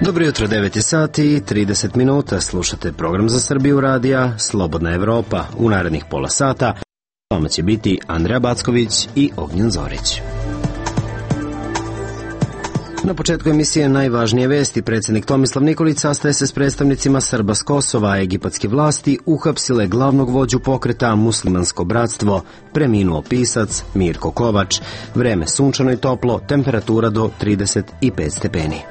Dobro jutro, 9 sati i 30 minuta. Slušate program za Srbiju radija Slobodna Evropa. U narednih pola sata vama će biti Andreja Backović i Ognjen Zorić. Na početku emisije najvažnije vesti. Predsjednik Tomislav Nikolić sastaje se s predstavnicima Srba s Kosova, a egipatske vlasti uhapsile glavnog vođu pokreta Muslimansko bratstvo. Preminuo pisac Mirko Kovač. Vreme sunčano i toplo, temperatura do 35 stepeni.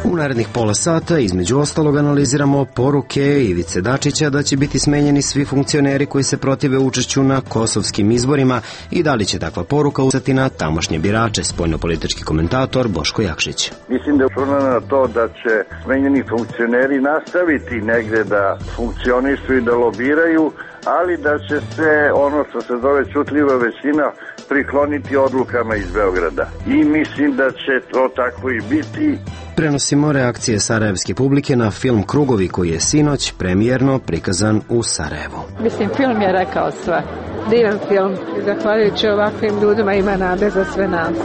U narednih pola sata između ostalog analiziramo poruke Ivice Dačića da će biti smenjeni svi funkcioneri koji se protive učešću na kosovskim izborima i da li će takva poruka utjecati na tamošnje birače, spoljnopolitički komentator Boško Jakšić. Mislim da je računano na to da će smenjeni funkcioneri nastaviti negde da funkcionišu i da lobiraju, ali da će se ono što se zove čutljiva većina prikloniti odlukama iz Beograda. I mislim da će to tako i biti. Prenosimo reakcije sarajevske publike na film Krugovi koji je sinoć premijerno prikazan u Sarajevu. Mislim, film je rekao sve. Divan film. Zahvaljujući ovakvim ljudima ima nade za sve nas.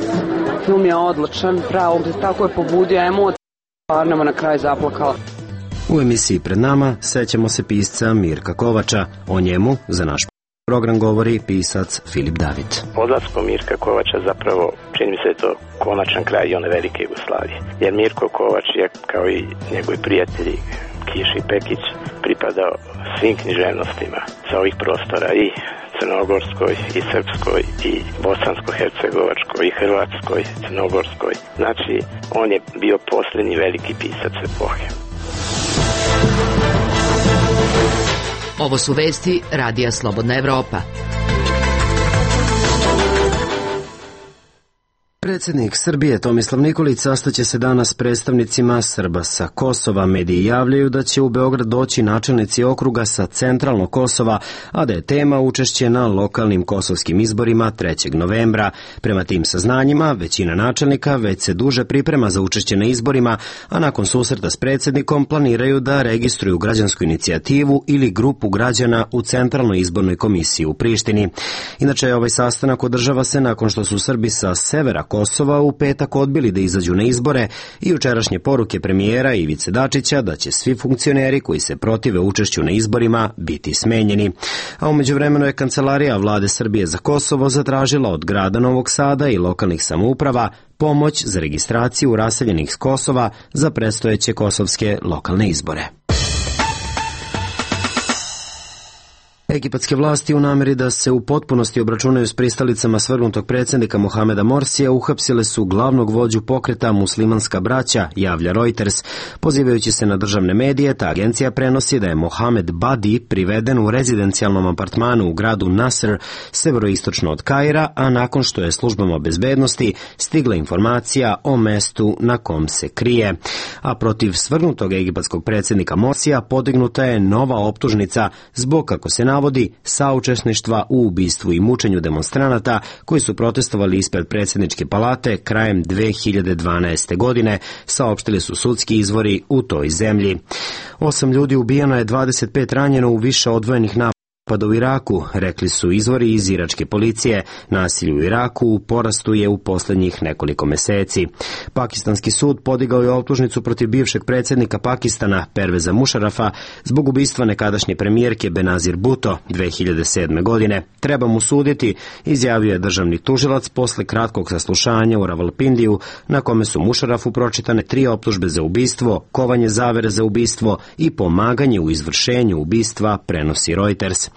Film je odličan, pravo, tako je pobudio emocije. Arnemo na kraju zaplakala. U emisiji pred nama sećamo se pisca Mirka Kovača. O njemu za naš program govori pisac Filip David. Odlaskom Mirka Kovača zapravo čini mi se to konačan kraj i one velike Jugoslavije. Jer Mirko Kovač je kao i njegovi prijatelji Kiš i Pekić pripadao svim književnostima sa ovih prostora i crnogorskoj i srpskoj i bosansko-hercegovačkoj i hrvatskoj, crnogorskoj. Znači on je bio posljednji veliki pisac epohe. Ovo su vesti Radija Slobodna Evropa. Predsjednik Srbije Tomislav Nikolić sastaće se danas s predstavnicima Srba sa Kosova. Mediji javljaju da će u Beograd doći načelnici okruga sa centralnog Kosova, a da je tema učešće na lokalnim kosovskim izborima 3. novembra. Prema tim saznanjima, većina načelnika već se duže priprema za učešće na izborima, a nakon susreta s predsjednikom planiraju da registruju građansku inicijativu ili grupu građana u Centralnoj izbornoj komisiji u Prištini. Inače, ovaj sastanak održava se nakon što su Srbi sa severa Kosova u petak odbili da izađu na izbore i jučerašnje poruke premijera Ivice Dačića da će svi funkcioneri koji se protive učešću na izborima biti smenjeni. A u međuvremenu je Kancelarija Vlade Srbije za Kosovo zatražila od grada Novog Sada i lokalnih samouprava pomoć za registraciju raseljenih s Kosova za predstojeće kosovske lokalne izbore. Egipatske vlasti u nameri da se u potpunosti obračunaju s pristalicama svrgnutog predsjednika Mohameda Morsija uhapsile su glavnog vođu pokreta Muslimanska braća, javlja Reuters. Pozivajući se na državne medije, ta agencija prenosi da je Mohamed Badi priveden u rezidencijalnom apartmanu u gradu Nasr, severoistočno od Kaira, a nakon što je službama bezbednosti stigla informacija o mestu na kom se krije. A protiv svrgnutog egipatskog predsjednika Morsija podignuta je nova optužnica zbog, kako se navodi, saučesništva u ubistvu i mučenju demonstranata koji su protestovali ispred predsjedničke palate krajem 2012. godine, saopštili su sudski izvori u toj zemlji. 8 ljudi ubijeno je, 25 ranjeno u više odvojenih napada u Iraku, rekli su izvori iz iračke policije. Nasilje u Iraku u porastu je u posljednjih nekoliko meseci. Pakistanski sud podigao je optužnicu protiv bivšeg predsjednika Pakistana Perveza Mušarafa zbog ubistva nekadašnje premijerke Benazir Bhutto 2007. godine. Treba mu suditi, izjavio je državni tužilac posle kratkog saslušanja u Ravalpindiju, na kome su Mušarafu pročitane 3 optužbe za ubistvo, kovanje zavere za ubistvo i pomaganje u izvršenju ubistva, prenosi Reuters.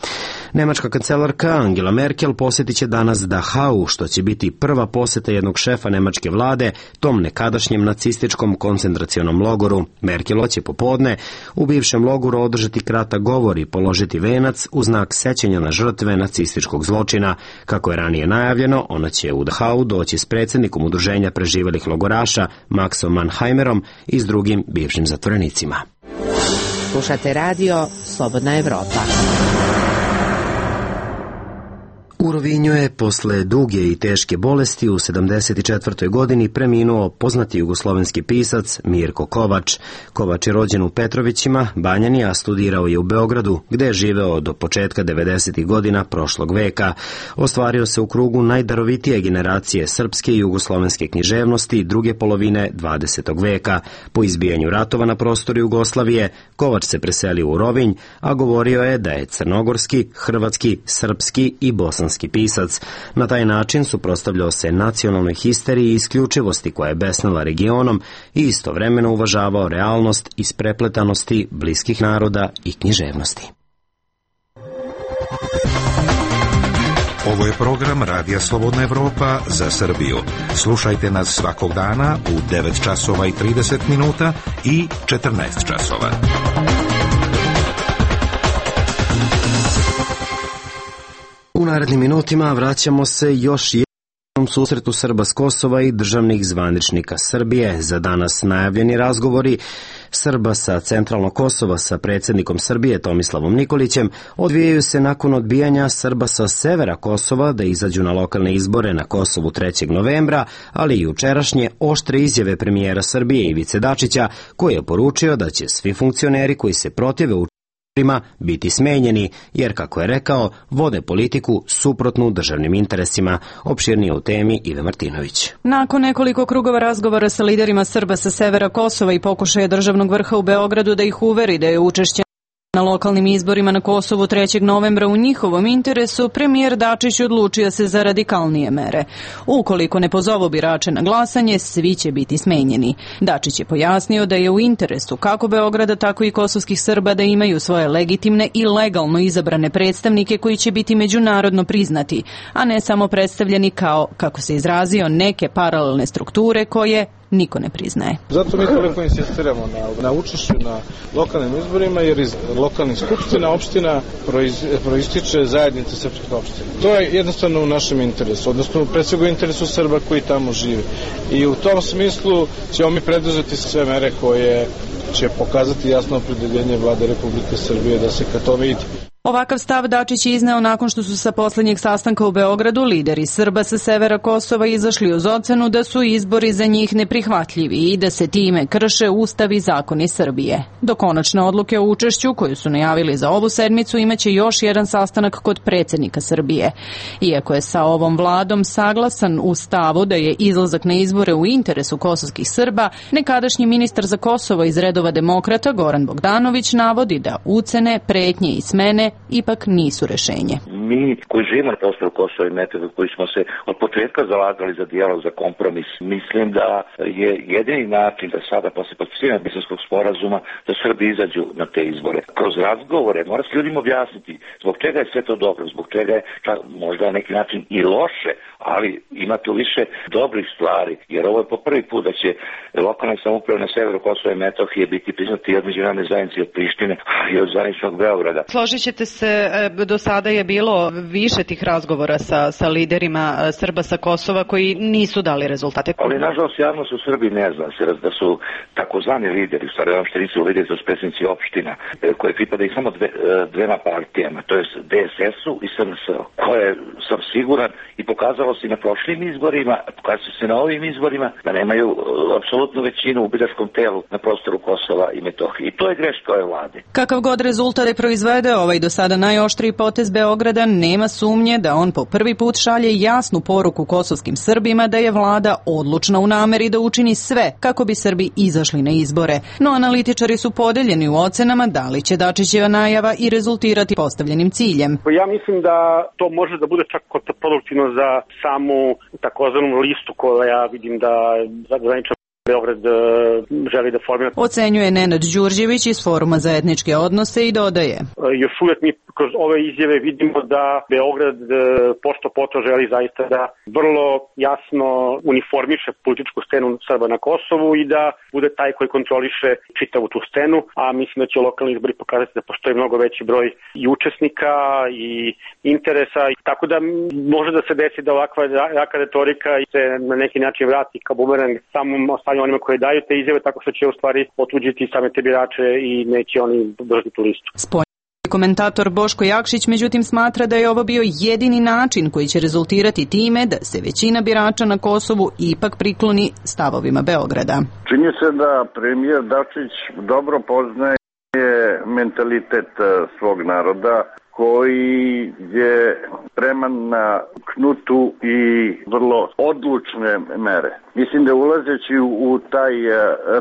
Nemačka kancelarka Angela Merkel posjetit će danas Dachau, što će biti prva posjeta jednog šefa nemačke vlade tom nekadašnjem nacističkom koncentracionom logoru. Merkel će popodne u bivšem logoru održati kratak govor i položiti venac u znak sećanja na žrtve nacističkog zločina. Kako je ranije najavljeno, ona će u Dachau doći s predsjednikom udruženja preživelih logoraša Maxom Mannheimerom i s drugim bivšim zatvorenicima. Slušate radio Slobodna Evropa. U Rovinju je posle duge i teške bolesti u 74. godini preminuo poznati jugoslovenski pisac Mirko Kovač. Kovač je rođen u Petrovićima, Banjani, a studirao je u Beogradu, gde je živeo do početka 90. godina prošlog veka. Ostvario se u krugu najdarovitije generacije srpske i jugoslovenske književnosti druge polovine 20. veka. Po izbijanju ratova na prostoru Jugoslavije, Kovač se preselio u Rovinj, a govorio je da je crnogorski, hrvatski, srpski i bosanski pisac. Na taj način suprotstavljao se nacionalnoj histeriji i isključivosti koja je besnela regionom i istovremeno uvažavao realnost isprepletanosti bliskih naroda i književnosti. Ovo je program Radija Slobodna Evropa za Srbiju. Slušajte nas svakog dana u 9 časova i 30 minuta i 14 časova. U narednim minutima vraćamo se još jednom susretu Srba s Kosova i državnih zvaničnika Srbije. Za danas najavljeni razgovori Srba sa centralnog Kosova sa predsjednikom Srbije Tomislavom Nikolićem odvijaju se nakon odbijanja Srba sa severa Kosova da izađu na lokalne izbore na Kosovu 3. novembra, ali i jučerašnje oštre izjave premijera Srbije Ivice Dačića, koji je poručio da će svi funkcioneri koji se protive biti smenjeni, jer, kako je rekao, vode politiku suprotnu državnim interesima. Opširnije u temi Ive Martinović. Nakon nekoliko krugova razgovora sa liderima Srba sa severa Kosova i pokušaja državnog vrha u Beogradu da ih uveri da je učešće na lokalnim izborima na Kosovu 3. novembra u njihovom interesu, premijer Dačić odlučio se za radikalnije mere. Ukoliko ne pozovu birače na glasanje, svi će biti smenjeni. Dačić je pojasnio da je u interesu kako Beograda, tako i kosovskih Srba da imaju svoje legitimne i legalno izabrane predstavnike koji će biti međunarodno priznati, a ne samo predstavljeni kao, kako se izrazio, neke paralelne strukture koje niko ne priznaje. Zato mi toliko insistiramo na učešću na lokalnim izborima, jer iz lokalnih skupština opština proističe zajednica srpskih opština. To je jednostavno u našem interesu, odnosno pre svega u interesu Srba koji tamo žive. I u tom smislu ćemo mi preduzeti sve mere koje će pokazati jasno opredeljenje Vlade Republike Srbije da se ka tome ide. Ovakav stav Dačić je izneo nakon što su sa poslednjeg sastanka u Beogradu lideri Srba sa severa Kosova izašli uz ocenu da su izbori za njih neprihvatljivi i da se time krše Ustav i zakoni Srbije. Do konačne odluke o učešću, koju su najavili za ovu sedmicu, imaće još jedan sastanak kod predsjednika Srbije. Iako je sa ovom vladom saglasan u stavu da je izlazak na izbore u interesu kosovskih Srba, nekadašnji ministar za Kosovo iz redova demokrata Goran Bogdanović navodi da ucene, pretnje i smene ipak nisu rešenje. Mi koji živimo na prostoru Kosova i Metohije, koji smo se od početka zalagali za dijalog, za kompromis, mislim da je jedini način da sada posle potpisivanja Briselskog sporazuma da Srbi izađu na te izbore. Kroz razgovore mora se ljudima objasniti zbog čega je sve to dobro, zbog čega je možda na neki način i loše, ali ima tu više dobrih stvari, jer ovo je po prvi put da će lokalne samouprave na severu Kosova i Metohije biti priznati od međunarodne zajednice, od Prištine i od zvaničnog Beograda. Složit ćete se, do sada je bilo više tih razgovora sa liderima Srba sa Kosova koji nisu dali rezultate. Ali nažalost javnost u Srbiji ne zna se da su takozvani lideri, u stvari uopšte nisu lideri, to su predsjednici opština, koje pripadaju samo dvema partijama, to je DSS-u i SNS-u, koje sam siguran i pokazalo se na prošlim izborima, pokazalo se na ovim izborima da nemaju apsolutnu većinu u biračkom telu na prostoru Kosova i Metohije. I to je greška ove vlade. Kakav god rezultat je proizvede ovaj do sada najoštriji potez Beograda, nema sumnje da on po prvi put šalje jasnu poruku kosovskim Srbima da je vlada odlučna u nameri da učini sve kako bi Srbi izašli na izbore. No analitičari su podeljeni u ocenama da li će Dačićeva najava i rezultirati postavljenim ciljem. Ja mislim da to može da bude čak kontraproduktivno za samu takozvanu listu koja vidim da zvanično Beograd želi da formira. Ocenjuje Nenad Đurđević iz Foruma za etničke odnose i dodaje. Još uvijek mi kroz ove izjave vidimo da Beograd pošto poto želi zaista da vrlo jasno uniformiše političku scenu Srba na Kosovu i da bude taj koji kontroliše čitavu tu scenu, a mislim da će lokalni izbori pokazati da postoji mnogo veći broj i učesnika i interesa, tako da može da se desi da ovakva jaka retorika se na neki način vrati kao bumerang samom onima koji daju te izjave, tako što će u stvari otuđiti same te birače i neće oni držati tu listu. Komentator Boško Jakšić međutim smatra da je ovo bio jedini način koji će rezultirati time da se većina birača na Kosovu ipak prikloni stavovima Beograda. Čini se da premijer Dačić dobro poznaje mentalitet svog naroda koji je spreman na knutu i vrlo odlučne mere. Mislim da ulazeći u taj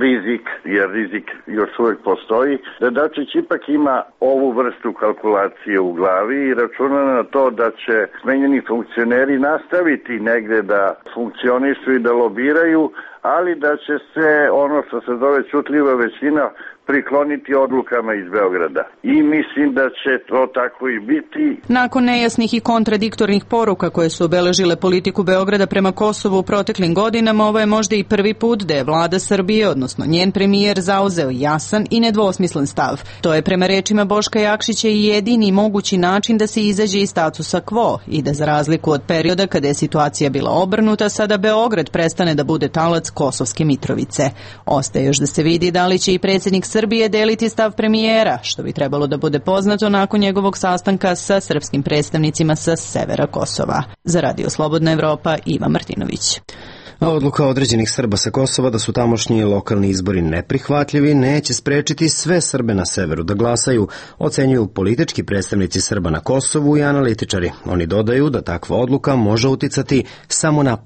rizik, jer rizik još uvijek postoji, da Dačić ipak ima ovu vrstu kalkulacije u glavi i računa na to da će smenjeni funkcioneri nastaviti negde da funkcionišu i da lobiraju, ali da će se ono što se zove čutljiva većina prikloniti odlukama iz Beograda. I mislim da će to tako i biti. Nakon nejasnih i kontradiktornih poruka koje su obeležile politiku Beograda prema Kosovu u proteklim godinama, ovo je možda i prvi put da je vlada Srbije, odnosno njen premijer, zauzeo jasan i nedvosmislen stav. To je prema rečima Boška Jakšića i jedini mogući način da se izađe iz statusa quo i da za razliku od perioda kada je situacija bila obrnuta, sada Beograd prestane da bude talac Kosovske Mitrovice. Ostaje još da se vidi da li će i predsjednik Srbije deliti stav premijera, što bi trebalo da bude poznato nakon njegovog sastanka sa srpskim predstavnicima sa severa Kosova. Za Radio Slobodna Evropa, Iva Martinović. A odluka određenih Srba sa Kosova da su tamošnji lokalni izbori neprihvatljivi neće sprečiti sve Srbe na severu da glasaju, ocenjuju politički predstavnici Srba na Kosovu i analitičari. Oni dodaju da takva odluka može uticati samo na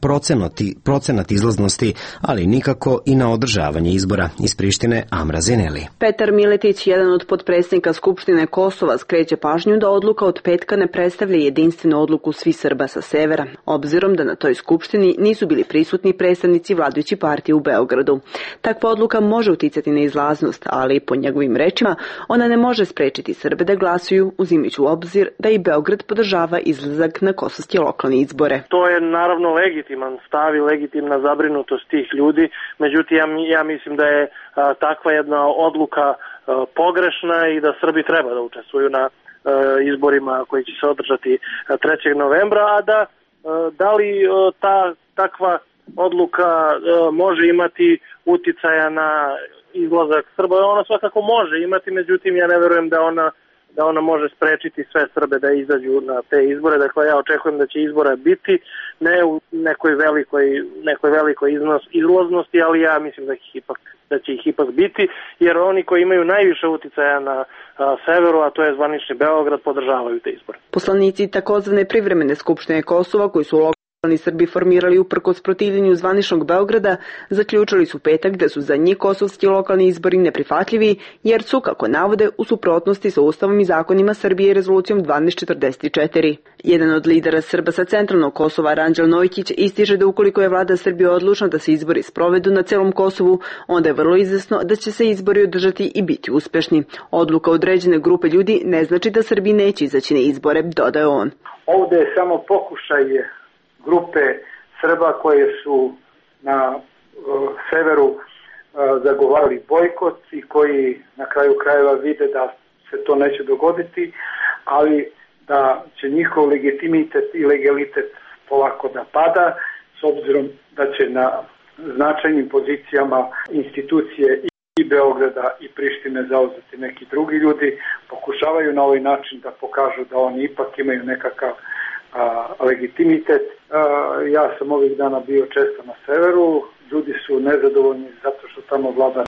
procenat izlaznosti, ali nikako i na održavanje izbora. Iz Prištine, Amra Zineli. Petar Miletić, jedan od potpredsjednika Skupštine Kosova, skreće pažnju da odluka od petka ne predstavlja jedinstvenu odluku svih Srba sa severa, obzirom da na toj skupštini nisu bili prisutni predstavnici vladajuće partije u Beogradu. Takva odluka može uticati na izlaznost, ali po njegovim rečima ona ne može sprečiti Srbe da glasuju, uzimajući u obzir da i Beograd podržava izlazak na kosovske lokalne izbore. To je naravno legitiman stav i legitimna zabrinutost tih ljudi, međutim ja mislim da je takva jedna odluka pogrešna i da Srbi treba da učestvuju na izborima koji će se održati 3. novembra, a da li takva odluka može imati uticaja na izlazak Srba, ona svakako može imati, međutim ja ne verujem da ona može sprečiti sve Srbe da izađu na te izbore. Dakle, ja očekujem da će izbora biti, ne u nekoj velikoj izlaznosti, ali ja mislim da će ih ipak biti, jer oni koji imaju najviše uticaja na severu, a to je zvanični Beograd, podržavaju te izbore. Poslanici takozvane privremene skupštine Kosova, koji su lokalni Srbi formirali uprkos protivljenju zvaničnog Beograda, zaključili su petak da su za njih kosovski lokalni izbori neprihvatljivi, jer su, kako navode, u suprotnosti sa Ustavom i zakonima Srbije i rezolucijom 1244. Jedan od lidera Srba sa centralnog Kosova, Ranđel Nojkić, ističe da ukoliko je vlada Srbije odlučna da se izbori sprovedu na celom Kosovu, onda je vrlo izvesno da će se izbori održati i biti uspešni. Odluka određene grupe ljudi ne znači da Srbi neće izaći na izbore, dodaje on. Ovde je samo pokušaj grupe Srba koje su na severu zagovarali bojkot i koji na kraju krajeva vide da se to neće dogoditi, ali da će njihov legitimitet i legalitet polako da pada, s obzirom da će na značajnim pozicijama institucije i Beograda i Prištine zauzeti neki drugi ljudi, pokušavaju na ovaj način da pokažu da oni ipak imaju nekakav legitimitet. Ja sam ovih dana bio često na severu, ljudi su nezadovoljni zato što tamo vlada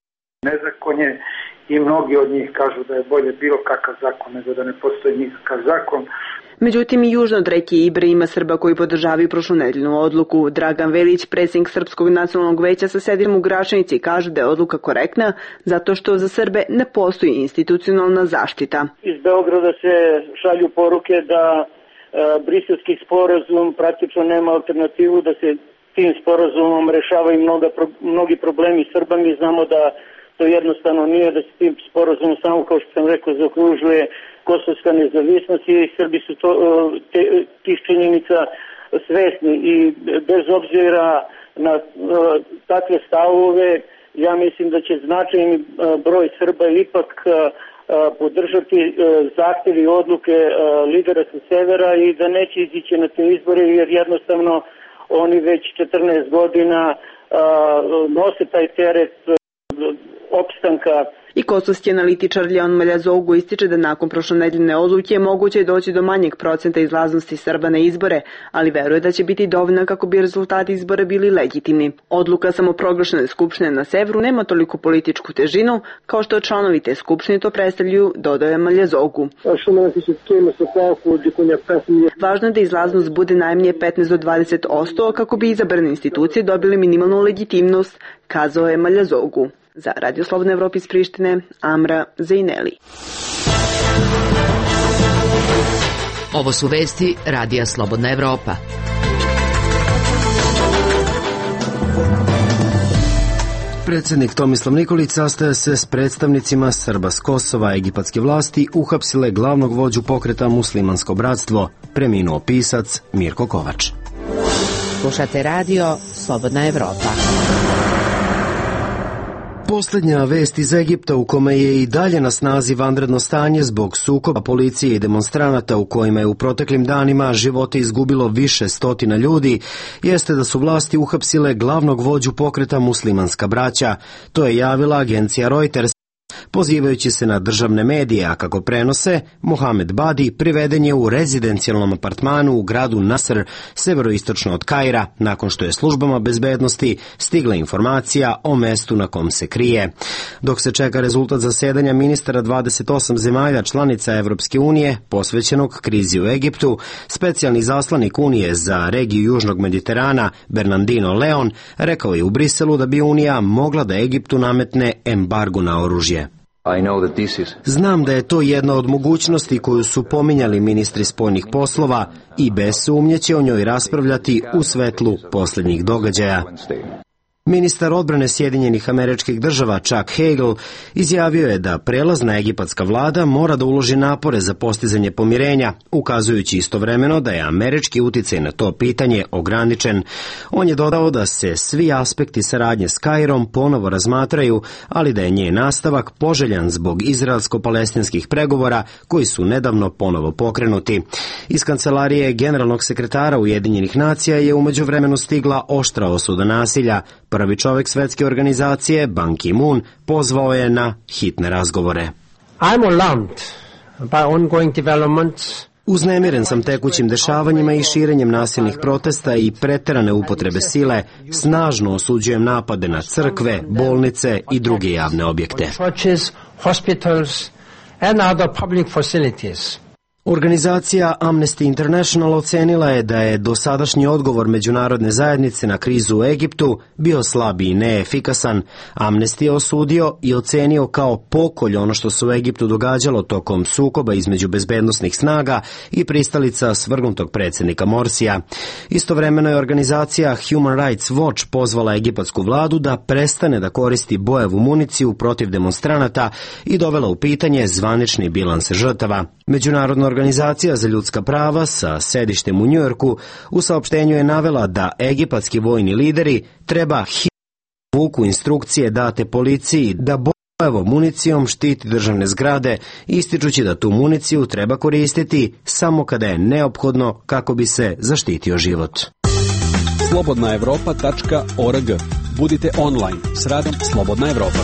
nezakonje i mnogi od njih kažu da je bolje bilo kakav zakon nego da ne postoji nikakav zakon. Međutim, i južno od reke Ibre ima Srba koji podržavaju prošlonedeljnu odluku. Dragan Velić, predsjednik Srpskog nacionalnog veća sa sedištem u Gračanici, kaže da je odluka korektna zato što za Srbe ne postoji institucionalna zaštita. Iz Beograda se šalju poruke da Briselski sporazum praktično nema alternativu, da se tim sporazumom rešavaju mnogi problemi Srba. Mi znamo da to jednostavno nije, da se tim sporazumom samo, kao što sam rekao, zaokružuje kosovska nezavisnost i Srbi su tih činjenica svesni i bez obzira na takve stavove, ja mislim da će značajni broj Srba ipak podržati zahtjevi i odluke lidera sa severa i da neće izići na te izbore, jer jednostavno oni već 14 godina nose taj teret opstanka I kosovski analitičar Leon Maljazogu ističe da nakon prošlonedeljne odluke moguće je doći do manjeg procenta izlaznosti Srba na izbore, ali veruje da će biti dovoljna kako bi rezultati izbora bili legitimni. Odluka samoproglašene skupštine na severu nema toliko političku težinu kao što članovi te skupštine to predstavljaju, dodaje Maljazogu. Važno je da izlaznost bude najmanje 15 do 20% kako bi izabrane institucije dobile minimalnu legitimnost, kazao je Maljazogu. Za Radio Slobodna Evropa iz Prištine, Amra Zejneli. Ovo su vesti Radija Slobodna Evropa. Predsjednik Tomislav Nikolić sastaje se s predstavnicima Srba s Kosova. Egipatske vlasti uhapsile glavnog vođu pokreta Muslimansko bratstvo, preminuo pisac Mirko Kovač. Slušate radio Slobodna Evropa. Posljednja vest iz Egipta, u kome je i dalje na snazi vanredno stanje zbog sukoba policije i demonstranata u kojima je u proteklim danima živote izgubilo više stotina ljudi, jeste da su vlasti uhapsile glavnog vođu pokreta Muslimanska braća. To je javila agencija Reuters, pozivajući se na državne medije, a kako prenose, Mohamed Badi priveden je u rezidencijalnom apartmanu u gradu Nasr, severoistočno od Kaira, nakon što je službama bezbednosti stigla informacija o mestu na kom se krije. Dok se čeka rezultat zasedanja ministara 28 zemalja članica Evropske unije, posvećenog krizi u Egiptu, specijalni zaslanik Unije za regiju Južnog Mediterana, Bernardino Leon, rekao je u Briselu da bi Unija mogla da Egiptu nametne embargo na oružje. Znam da je to jedna od mogućnosti koju su pominjali ministri spoljnih poslova i bez sumnje će o njoj raspravljati u svetlu posljednjih događaja. Ministar odbrane Sjedinjenih Američkih Država Chuck Hagel izjavio je da prelazna egipatska vlada mora da uloži napore za postizanje pomirenja, ukazujući istovremeno da je američki uticaj na to pitanje ograničen. On je dodao da se svi aspekti saradnje s Kairom ponovo razmatraju, ali da je njen nastavak poželjan zbog izraelsko-palestinskih pregovora koji su nedavno ponovo pokrenuti. Iz kancelarije generalnog sekretara Ujedinjenih nacija je umeđuvremenu stigla oštra osuda nasilja. Prvi čovjek svetske organizacije, Ban Ki-moon, pozvao je na hitne razgovore. Uznemiren sam tekućim dešavanjima i širenjem nasilnih protesta i preterane upotrebe sile. Snažno osuđujem napade na crkve, bolnice i druge javne objekte. Organizacija Amnesty International ocenila je da je dosadašnji odgovor međunarodne zajednice na krizu u Egiptu bio slab i neefikasan. Amnesty je osudio i ocenio kao pokolj ono što se u Egiptu događalo tokom sukoba između bezbednosnih snaga i pristalica svrgnutog predsjednika Morsija. Istovremeno je organizacija Human Rights Watch pozvala egipatsku vladu da prestane da koristi bojevu municiju protiv demonstranata i dovela u pitanje zvanični bilans žrtava. Međunarodna organizacija za ljudska prava sa sedištem u Njujorku u saopštenju je navela da egipatski vojni lideri treba vuku instrukcije date policiji da bojevom municijom štiti državne zgrade, ističući da tu municiju treba koristiti samo kada je neophodno kako bi se zaštitio život. slobodnaevropa.org. Budite online s radom Slobodna Evropa.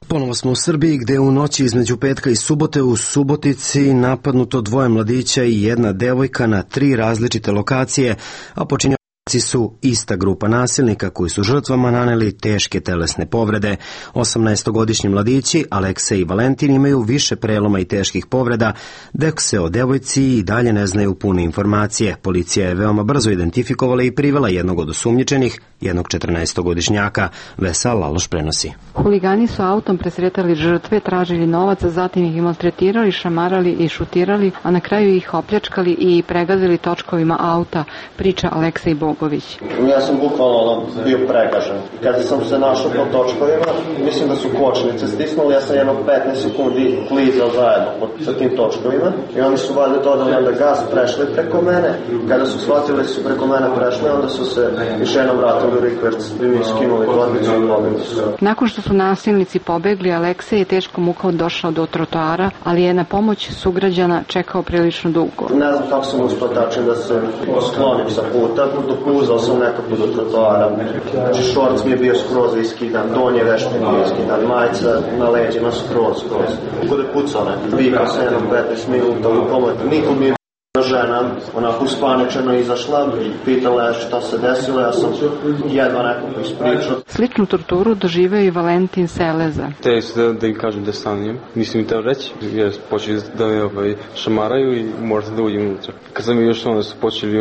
Ponovo smo u Srbiji, gde u noći između petka i subote u Subotici napadnuto 2 mladića i 1 devojka na 3 različite lokacije, a počinioci su ista grupa nasilnika koji su žrtvama naneli teške telesne povrede. 18-godišnji mladići Aleksej i Valentin imaju više preloma i teških povreda, dok se o devojci i dalje ne znaju pune informacije. Policija je veoma brzo identifikovala i privela jednog od osumnjičenih, jednog 14-godišnjaka. Vesa Laloš prenosi. Huligani su autom presretali žrtve, tražili novac, zatim ih maltretirali, šamarali i šutirali, a na kraju ih opljačkali i pregazili točkovima auta, priča Aleksej Bogović. Ja sam bukvalno bio pregažen. Kada sam se našao po točkovima, mislim da su kočnice stisnuli, ja sam jedno 15 sekundi klizao zajedno sa tim točkovima i oni su valjda dodali onda gas, prešli preko mene. Kada su shvatili da su preko mene prešli, onda su se još jednom vratili u rikverc i mi skinuli torbicu i pobegli su. Nakon što su nasilnici pobegli, Aleksej je teško mukom došao do trotoara, ali je na pomoć sugrađana čekao prilično dugo. Ne znam kako sam uspio tačno da se sklonim sa puta, dok puzao sam nekako do trotoara. Znači, šorc mi je bio skroz iskidan, donje veš mi je bio iskidan, majica na leđima skroz. Kod je pucao nekako, vikao se jednom 15 minuta u pomoć, niko mi je žena, onako uspaničeno izašla i pitala je šta se desilo, ja sam jedva nekako ispričao. Sličnu torturu doživeo i Valentin Seleza. Te su da im kažem da stanem, nisam im teo reći, jer počeli da me šamaraju i morate da uđem unutra. Kad sam još onda su počeli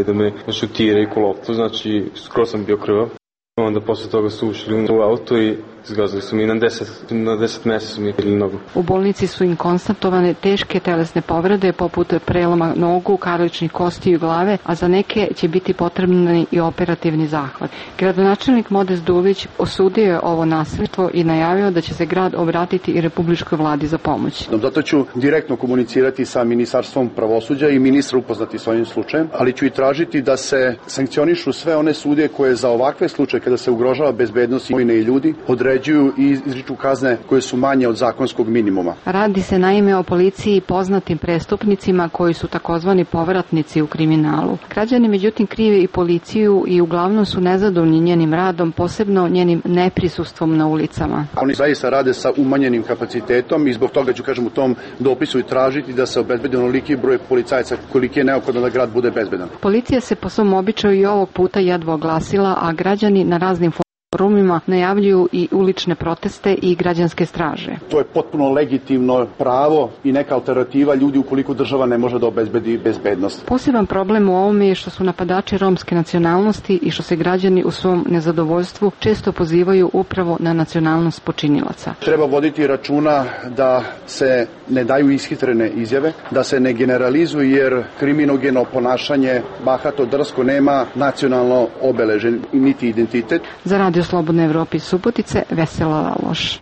da me šutiraju ko loptu, znači skoro sam bio krvav. Onda posle toga su ušli u auto i zgazili su mi na 10 mesa su mi pili nogu. U bolnici su im konstatovane teške telesne povrede poput preloma nogu, karličnih kosti i glave, a za neke će biti potrebni i operativni zahvat. Gradonačelnik Modest Dulić osudio je ovo nasilstvo i najavio da će se grad obratiti i Republičkoj vladi za pomoć. Zato ću direktno komunicirati sa Ministarstvom pravosuđa i ministra upoznati s ovim slučajem, ali ću i tražiti da se sankcionišu sve one sudije koje za ovakve slučaje kada se ugrožava bezbednost imovine i ljudi određuju i izriču kazne koje su manje od zakonskog minimuma. Radi se naime o policiji i poznatim prestupnicima koji su takozvani povratnici u kriminalu. Građani međutim krive i policiju i uglavnom su nezadovoljni njenim radom, posebno njenim neprisustvom na ulicama. Oni zaista rade sa umanjenim kapacitetom i zbog toga ću u tom dopisu i tražiti da se obezbedi onoliki broj policajaca koliki je neophodno da grad bude bezbedan. Policija se po svom običaju i ovog puta jedva oglasila, a građani na raznim forumima najavljuju i ulične proteste i građanske straže. To je potpuno legitimno pravo i neka alternativa ljudi ukoliko država ne može da obezbedi bezbednost. Poseban problem u ovome je što su napadači romske nacionalnosti i što se građani u svom nezadovoljstvu često pozivaju upravo na nacionalnost počinilaca. Treba voditi računa da se ne daju ishitrene izjave, da se ne generalizuju jer kriminogeno ponašanje, bahato, drsko nema nacionalno obeležen niti identitet. Za Radio Slobodne Evrope iz Subotice, Vesela Laloš.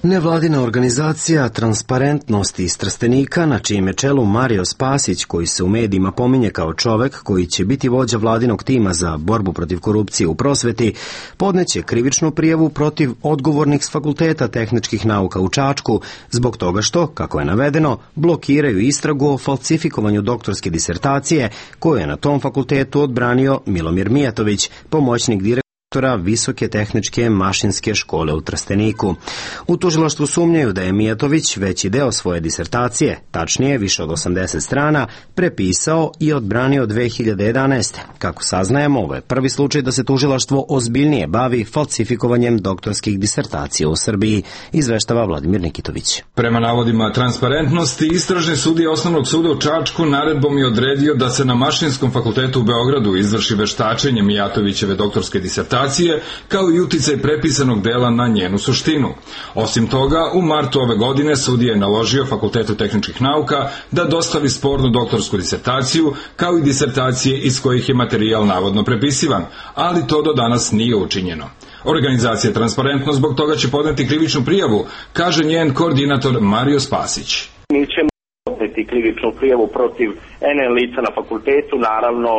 Nevladina organizacija Transparentnost iz Trstenika, na čijem je čelu Mario Spasić, koji se u medijima pominje kao čovek koji će biti vođa vladinog tima za borbu protiv korupcije u prosveti, podneće krivičnu prijavu protiv odgovornih s Fakulteta tehničkih nauka u Čačku, zbog toga što, kako je navedeno, blokiraju istragu o falsifikovanju doktorske disertacije koju je na tom fakultetu odbranio Milomir Mijatović, pomoćnik direktora Visoke tehničke mašinske škole u Trsteniku. U tužilaštvu sumnjaju da je Mijatović veći deo svoje disertacije, tačnije više od 80 strana, prepisao i odbranio 2011. Kako saznajemo, ovo je prvi slučaj da se tužilaštvo ozbiljnije bavi falsifikovanjem doktorskih disertacija u Srbiji, izveštava Vladimir Nikitović. Prema navodima Transparentnosti, istražni sudija Osnovnog suda u Čačku naredbom je odredio da se na Mašinskom fakultetu u Beogradu izvrši veštačenje Mijatovićeve doktorske disertacije, kao i uticaj prepisanog dela na njenu suštinu. Osim toga, u martu ove godine sudija je naložio Fakultetu tehničkih nauka da dostavi spornu doktorsku disertaciju, kao i disertacije iz kojih je materijal navodno prepisivan, ali to do danas nije učinjeno. Organizacija Transparentnost zbog toga će podneti krivičnu prijavu, kaže njen koordinator Mario Spasić. Mi ćemo podneti krivičnu prijavu protiv NN lica na fakultetu, naravno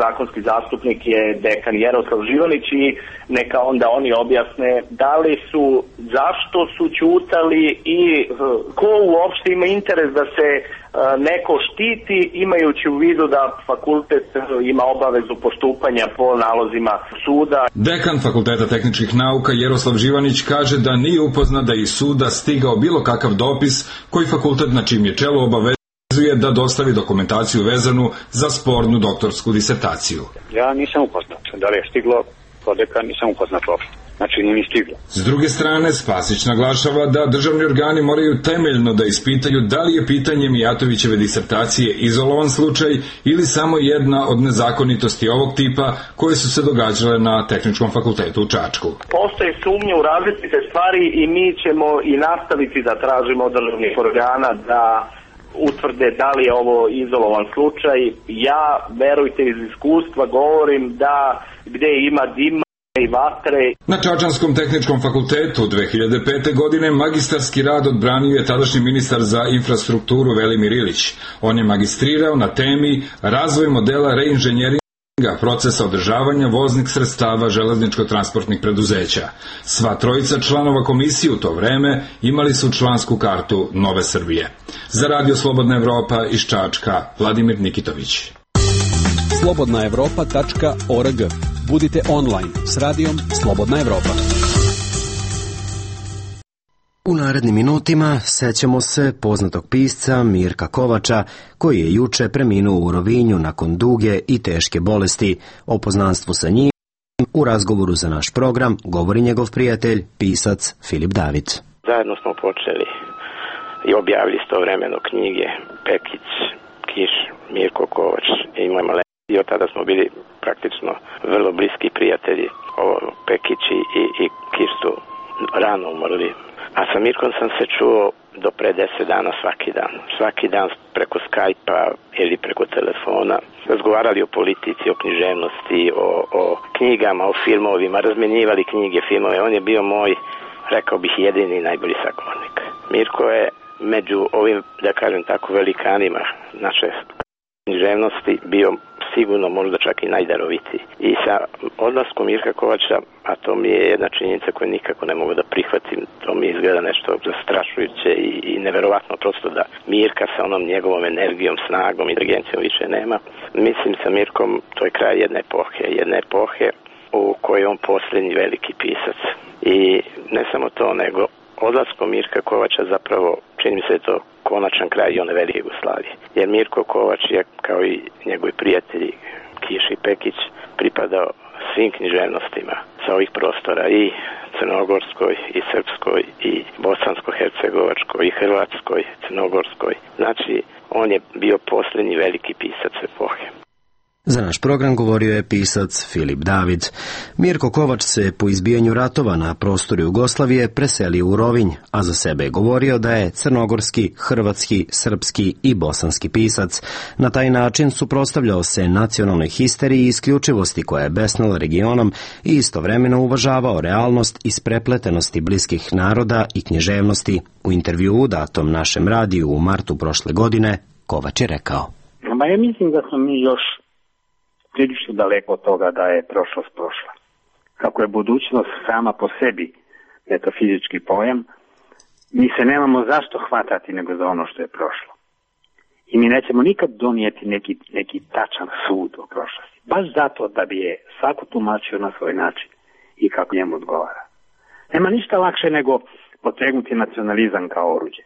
zakonski zastupnik je dekan Jaroslav Živanić i neka onda oni objasne da li su, zašto su ćutali i ko uopšte ima interes da se neko štiti, imajući u vidu da fakultet ima obavezu postupanja po nalozima suda. Dekan Fakulteta tehničkih nauka Jaroslav Živanić kaže da nije upoznat da iz suda stigao bilo kakav dopis koji fakultet na čim je čelo obavezuje da dostavi dokumentaciju vezanu za spornu doktorsku disertaciju. Ja nisam upoznat. Da li je stiglo kod dekan, nisam upoznat uopšte. Znači nije ni stiglo. S druge strane, Spasić naglašava da državni organi moraju temeljno da ispitaju da li je pitanje Mijatovićeve disertacije izolovan slučaj ili samo jedna od nezakonitosti ovog tipa koje su se događale na Tehničkom fakultetu u Čačku. Postoje sumnje u različite stvari i mi ćemo i nastaviti da tražimo od državnih organa da utvrde da li je ovo izolovan slučaj. Ja, verujte, iz iskustva govorim da gde ima dima i vatre. Na Čačanskom tehničkom fakultetu 2005. godine magistarski rad odbranio je tadašnji ministar za infrastrukturu Velimir Ilić. On je magistrirao na temi razvoj modela reinženjeringa procesa održavanja voznih sredstava železničko-transportnih preduzeća. Sva trojica članova komisije u to vreme imali su člansku kartu Nove Srbije. Za Radio Slobodna Evropa iz Čačka, Vladimir Nikitović. slobodnaevropa.org. Budite online s radijom Slobodna Evropa. U narednim minutima sećamo se poznatog pisca Mirka Kovača, koji je juče preminuo u Rovinju nakon duge i teške bolesti. O poznanstvu sa njim u razgovoru za naš program govori njegov prijatelj, pisac Filip David. Zajedno smo počeli i objavili istovremeno knjige Pekić, Kiš, Mirko Kovač i moj Male. I od tada smo bili praktično vrlo bliski prijatelji. Pekić i Kiš su rano umrli. A sa Mirkom sam se čuo do pre 10 dana svaki dan. Svaki dan preko Skype-a ili preko telefona. Razgovarali o politici, o književnosti, o knjigama, o filmovima, razmenjivali knjige, filmove. On je bio moj, rekao bih, jedini i najbolji sagovornik. Mirko je među ovim, da kažem tako, velikanima naše književnosti bio sigurno možda čak i najdarovitiji. I sa odlaskom Mirka Kovača, a to mi je jedna činjenica koju nikako ne mogu da prihvatim, to mi izgleda nešto zastrašujuće i neverovatno prosto da Mirka sa onom njegovom energijom, snagom, inteligencijom više nema. Mislim sa Mirkom, to je kraj jedne epohe u kojoj je on posljednji veliki pisac. I ne samo to, nego odlaskom Mirka Kovača zapravo čini mi se to konačan kraj i one velike Jugoslavije. Jer Mirko Kovač je, kao i njegovi prijatelji Kiš i Pekić, pripadao svim književnostima sa ovih prostora, i crnogorskoj, i srpskoj, i bosansko-hercegovačkoj, i hrvatskoj, crnogorskoj. Znači, on je bio posljednji veliki pisac epohe. Za naš program govorio je pisac Filip David. Mirko Kovač se po izbijanju ratova na prostoru Jugoslavije preselio u Rovinj, a za sebe je govorio da je crnogorski, hrvatski, srpski i bosanski pisac. Na taj način suprotstavljao se nacionalnoj histeriji i isključivosti koja je besnala regionom i istovremeno uvažavao realnost isprepletenosti bliskih naroda i književnosti. U intervjuu datom našem radiju u martu prošle godine, Kovač je rekao: Ja mislim da smo mi još prilično daleko od toga da je prošlost prošla. Kako je budućnost sama po sebi metafizički pojam, mi se nemamo zašto hvatati nego za ono što je prošlo. I mi nećemo nikad donijeti neki tačan sud o prošlosti. Baš zato da bi je svako tumačio na svoj način i kako njemu odgovara. Nema ništa lakše nego potegnuti nacionalizam kao oruđe.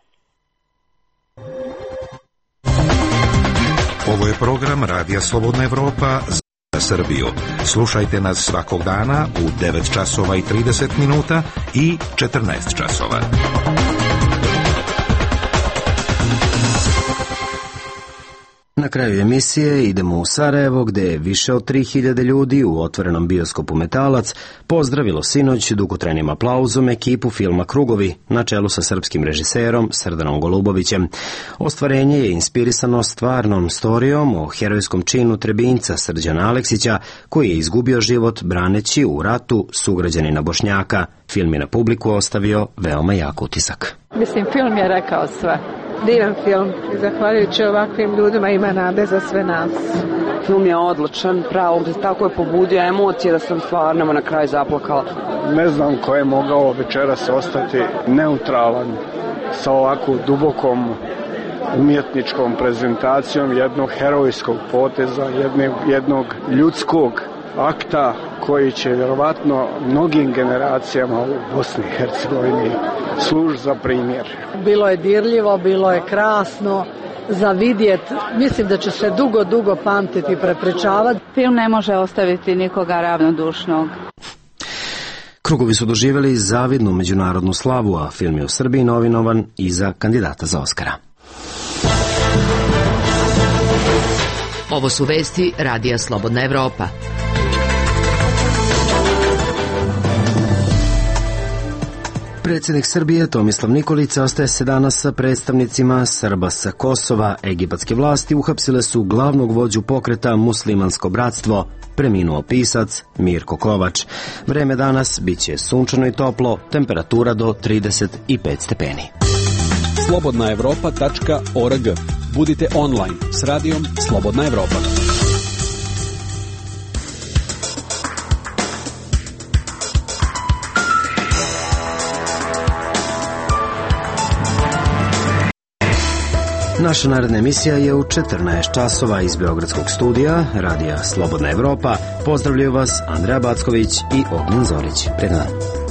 Ovo je program Radija Slobodna Evropa za Srbiju. Slušajte nas svakog dana u 9 časova i 30 minuta i 14 časova. Na kraju emisije idemo u Sarajevo, gde je više od 3000 ljudi u otvorenom bioskopu Metalac pozdravilo sinoć dugotrajnim aplauzom ekipu filma Krugovi na čelu sa srpskim režiserom Srdanom Golubovićem. Ostvarenje je inspirisano stvarnom storijom o herojskom činu Trebinjca Srđana Aleksića, koji je izgubio život braneći u ratu sugrađanina Bošnjaka. Film je na publiku ostavio veoma jak utisak. Mislim, film je rekao sve. Divan film i zahvaljujući ovakvim ljudima ima nade za sve nas. Film je odličan, pravo, tako je pobudio emocije da sam stvarno na kraju zaplakala. Ne znam ko je mogao večeras ostati neutralan sa ovako dubokom umjetničkom prezentacijom jednog herojskog poteza, jednog ljudskog akta koji će vjerovatno mnogim generacijama u Bosni i Hercegovini služi za primjer. Bilo je dirljivo, bilo je krasno za vidjet. Mislim da će se dugo pamtiti i prepričavati. Film ne može ostaviti nikoga ravnodušnog. Krugovi su doživjeli zavidnu međunarodnu slavu, a film je u Srbiji nominovan i za kandidata za Oskara. Ovo su vesti Radija Slobodna Evropa. Predsjednik Srbije Tomislav Nikolić sastaje se danas sa predstavnicima Srba sa Kosova. Egipatske vlasti uhapsile su glavnog vođu pokreta Muslimansko bratstvo, preminuo pisac Mirko Kovač. Vreme danas biće sunčano i toplo, temperatura do 35 stepeni. slobodnaevropa.org. Budite online s radijom Slobodna Evropa. Naša naredna emisija je u 14 časova iz Beogradskog studija Radija Slobodna Evropa. Pozdravljaju vas Andreja Backović i Ognjen Zorić. Pred nama.